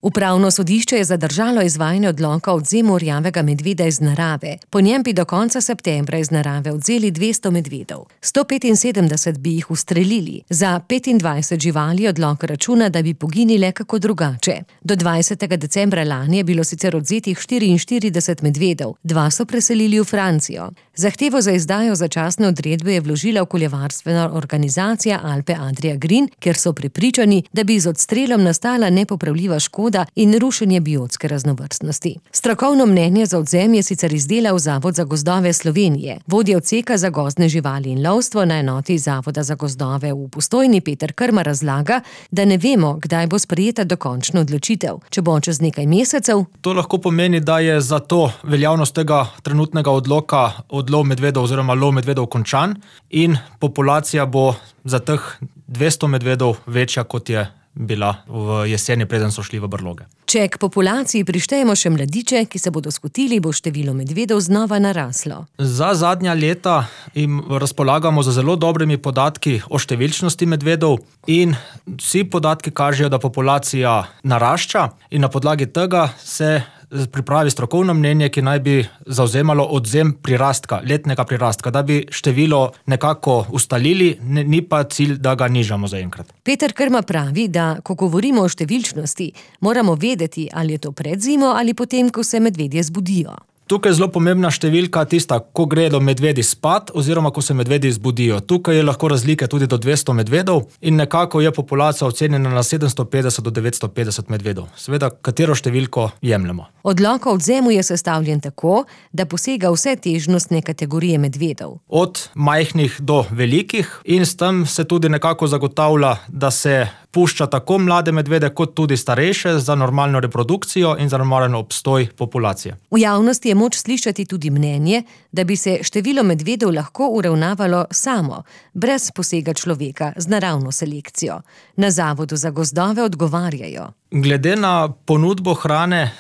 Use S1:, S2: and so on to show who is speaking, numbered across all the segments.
S1: Upravno sodišče je zadržalo izvajanje odloka o odvzemu rjavega medveda iz narave. Po njem bi do konca septembra iz narave odvzeli 200 medvedov. 175 bi jih ustrelili. Za 25 živali odlok računa, da bi poginile kako drugače. Do 20. decembra lani je bilo sicer odvzetih 44 medvedov, 2 so preselili v Francijo. Zahtevo za izdajo začasne odredbe je vložila okoljevarstvena organizacija Alpe Adria Green, ker so prepričani, da bi z odstrelom nastala nepopravljiva škoda in rušenje biotske raznovrstnosti. Strokovno mnenje za odvzem je sicer izdelal Zavod za gozdove Slovenije. Vodja odseka za gozdne živali in lovstvo na enoti Zavoda za gozdove v Postojni Peter Krma razlaga, da ne vemo, kdaj bo sprejeta dokončna odločitev. Če bo čez nekaj mesecev.
S2: To lahko pomeni, da je zato veljavnost tega trenutnega odloka odlov medvedov oziroma lov medvedov končan in populacija bo za teh 200 medvedov večja, kot je bila v jeseni, preden so šli v brloge.
S1: Če k populaciji prištejemo še mladiče, ki se bodo skotili, bo število medvedov znova naraslo.
S2: Za zadnja leta jim razpolagamo z zelo dobrimi podatki o številčnosti medvedov in vsi podatki kažejo, da populacija narašča in na podlagi tega se pripravi strokovno mnenje, ki naj bi zavzemalo odvzem prirastka, letnega prirastka, da bi število nekako ustalili, ni pa cilj, da ga nižamo zaenkrat.
S1: Peter Krma pravi, da ko govorimo o številčnosti, moramo vedeti, ali je to pred zimo ali potem, ko se medvedje zbudijo.
S2: Tukaj je zelo pomembna številka tista, ko gredo medvedi spat oziroma ko se medvedi zbudijo. Tukaj je lahko razlike tudi do 200 medvedov in nekako je populacija ocenjena na 750 do 950 medvedov. Seveda, katero številko jemljemo.
S1: Odlok o odvzemu je sestavljen tako, da posega vse težnostne kategorije medvedov.
S2: Od majhnih do velikih in s tem se tudi nekako zagotavlja, da se pušča tako mlade medvede kot tudi starejše za normalno reprodukcijo in za normalen obstoj populacije.
S1: V javnosti je moč slišati tudi mnenje, da bi se število medvedov lahko uravnavalo samo, brez posega človeka z naravno selekcijo. Na Zavodu za gozdove odgovarjajo.
S2: Glede na ponudbo hrane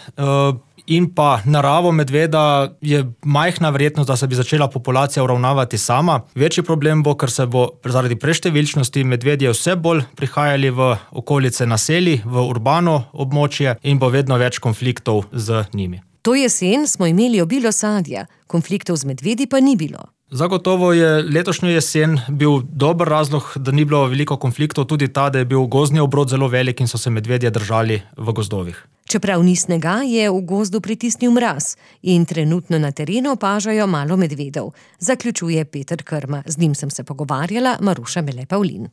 S2: in pa naravo medveda je majhna verjetnost, da se bi začela populacija uravnavati sama. Večji problem bo, ker se bo zaradi preštevilčnosti medvedje vse bolj prihajali v okolice naselij, v urbano območje in bo vedno več konfliktov z njimi.
S1: To jesen smo imeli obilo sadja, konfliktov z medvedi pa ni bilo.
S2: Zagotovo je letošnjo jesen bil dober razlog, da ni bilo veliko konfliktov, tudi ta, da je bil gozdni obrod zelo velik in so se medvedje držali v gozdovih.
S1: Čeprav ni snega, je v gozdu pritisnil mraz in trenutno na terenu opažajo malo medvedov, zaključuje Peter Krma. Z njim sem se pogovarjala, Maruša Mele Pavlin.